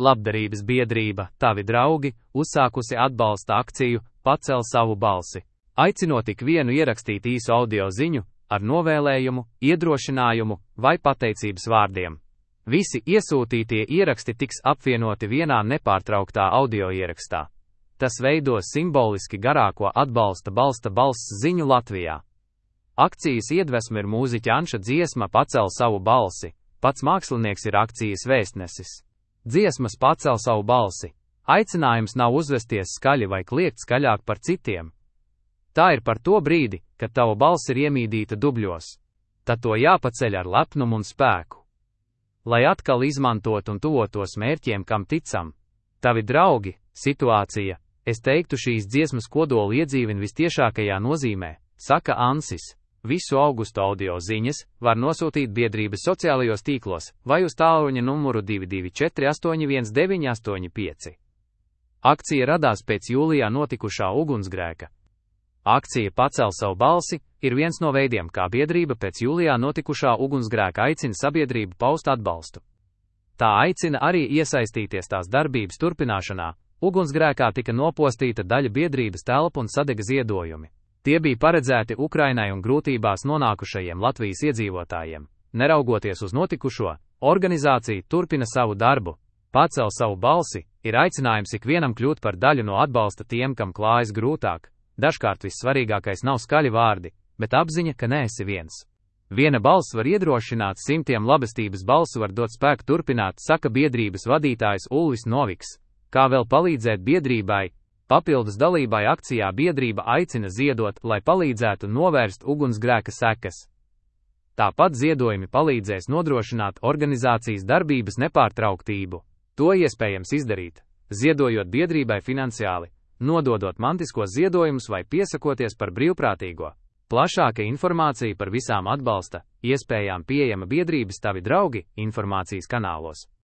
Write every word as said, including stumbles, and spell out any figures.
Labdarības biedrība Tavi draugi uzsākusi atbalsta akciju Pacel savu balsi, aicinot ik vienu ierakstīt īsu audio ziņu ar novēlējumu, iedrošinājumu vai pateicības vārdiem. Visi iesūtītie ieraksti tiks apvienoti vienā nepārtrauktā audio ierakstā. Tas veidos simboliski garāko atbalsta balsta balss ziņu Latvijā. Akcijas iedvesma ir mūziķa Anša dziesma Pacel savu balsi, pats mākslinieks ir akcijas vēstnesis. Dziesmas Pacel savu balsi. Aicinājums nav uzvesties skaļi vai kliegt skaļāk par citiem. Tā ir par to brīdi, kad tava balss ir iemīdīta dubļos. Tad to jāpaceļ ar lepnumu un spēku. Lai atkal izmantot un tuvotos mērķiem, kam ticam. Tavi draugi, situācija, es teiktu šīs dziesmas kodolu iedzīvina vistiešākajā nozīmē, saka Ansis. Visu augustu audio ziņas var nosūtīt biedrības sociālajos tīklos vai uz tālruņa numuru divi divi četri astoņi viens deviņi astoņi pieci. Akcija radās pēc jūlijā notikušā ugunsgrēka. Akcija Pacel savu balsi ir viens no veidiem, kā biedrība pēc jūlijā notikušā ugunsgrēka aicina sabiedrību paust atbalstu. Tā aicina arī iesaistīties tās darbības turpināšanā. Ugunsgrēkā tika nopostīta daļa biedrības telpa un sadega ziedojumi. Tie bija paredzēti Ukrainai un grūtībās nonākušajiem Latvijas iedzīvotājiem. Neraugoties uz notikušo, organizācija turpina savu darbu. Pacel savu balsi ir aicinājums ikvienam kļūt par daļu no atbalsta tiem, kam klājas grūtāk. Dažkārt vissvarīgākais nav skaļi vārdi, bet apziņa, ka neesi viens. Viena balss var iedrošināt simtiem, labestības balsu var dot spēku turpināt, saka biedrības vadītājs Ulvis Noviks. Kā vēl palīdzēt biedrībai? Papildus dalībai akcijā biedrība aicina ziedot, lai palīdzētu novērst ugunsgrēka sekas. Tāpat ziedojumi palīdzēs nodrošināt organizācijas darbības nepārtrauktību. To iespējams izdarīt, ziedojot biedrībai finansiāli, nododot mantiskos ziedojumus vai piesakoties par brīvprātīgo. Plašāka informācija par visām atbalsta iespējām pieejama biedrības Tavi draugi informācijas kanālos.